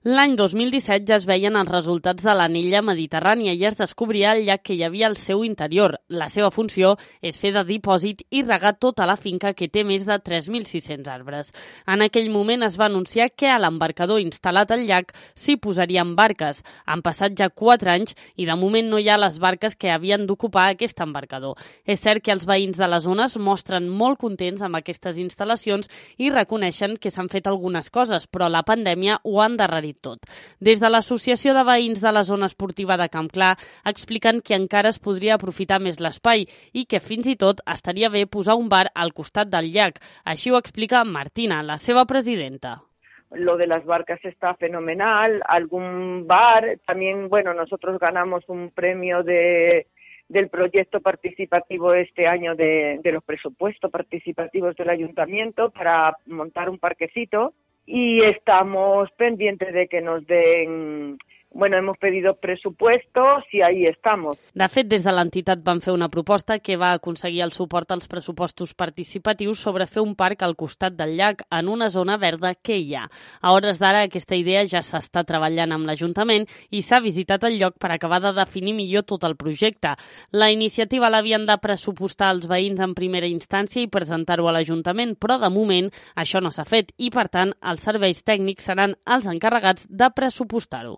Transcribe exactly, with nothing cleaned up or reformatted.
L'any dos mil disset ja es veien els resultats de l'anella mediterrània i es descobria el llac que hi havia al seu interior. La seva funció és fer de dipòsit i regar tota la finca, que té més de tres mil sis-cents arbres. En aquell moment es va anunciar que a l'embarcador instal·lat al llac s'hi posarien barques. Han passat ja quatre anys i de moment no hi ha les barques que havien d'ocupar aquest embarcador. És cert que els veïns de les zones mostren molt contents amb aquestes instal·lacions i reconeixen que s'han fet algunes coses, però la pandèmia ho ha endarrerit tot. Des de l'Associació de Veïns de la Zona Esportiva de Camp Clar expliquen que encara es podria aprofitar més l'espai i que fins i tot estaria bé posar un bar al costat del llac. Així ho explica Martina, la seva presidenta. Lo de las barcas está fenomenal, algún bar, también, bueno, nosotros ganamos un premio de, del proyecto participativo este año de, de los presupuestos participativos del ayuntamiento para montar un parquecito y estamos pendientes de que nos den... Bueno, hemos pedido presupuestos i ahí estamos. De fet, des de l'entitat van fer una proposta que va aconseguir el suport als pressupostos participatius sobre fer un parc al costat del llac en una zona verda que hi ha. A hores d'ara, aquesta idea ja s'està treballant amb l'Ajuntament i s'ha visitat el lloc per acabar de definir millor tot el projecte. La iniciativa l'havien de pressupostar als veïns en primera instància i presentar-ho a l'Ajuntament, però de moment això no s'ha fet i, per tant, els serveis tècnics seran els encarregats de pressupostar-ho.